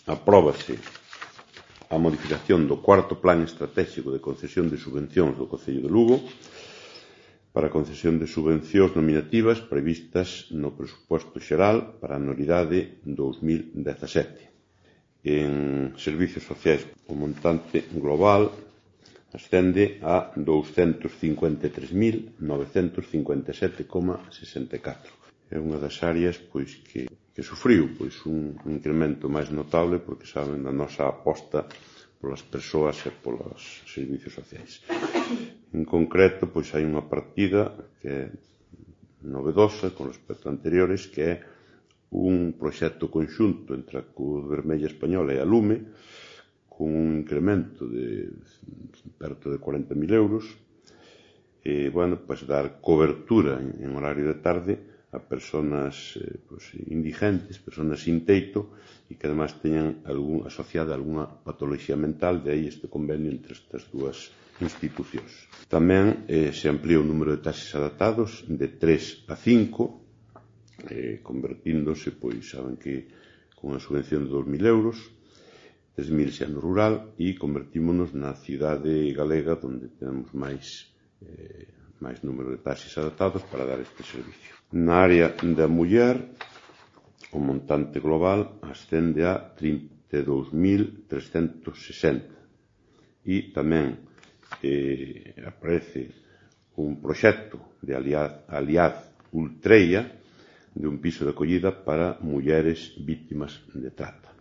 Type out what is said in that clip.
apróbase a modificación do cuarto Plan Estratégico de Concesión de Subvencións do Concello de Lugo para a concesión de subvencións nominativas previstas no presuposto xeral para a anualidade 2017. En servicios sociais, o montante global ascende a 253.957,64. É unha das áreas que sufriu un incremento máis notable porque saben da nosa aposta polas persoas e polos servicios sociais. En concreto, hai unha partida que é novedosa con respecto a anteriores, que é un proxecto conxunto entre a Cruz Vermella Española e a Lume, con un incremento de perto de 40.000 euros, e, dar cobertura en horario de tarde a persoas indigentes, persoas sin teito, e que además teñan asociada algunha patoloxía mental, de aí este convenio entre estas dúas institucións. Tamén se amplía o número de taxis adaptados de 3 a 5, convertíndose, saben que con a subvención de 2.000 euros, 3.000 xa no rural, e convertímonos na cidade galega onde temos máis número de taxis adaptados para dar este servicio. Na área da muller, o montante global ascende a 32.360 e tamén aparece un proxecto de Aliad Ultreia de un piso de acollida para mulleres vítimas de trata.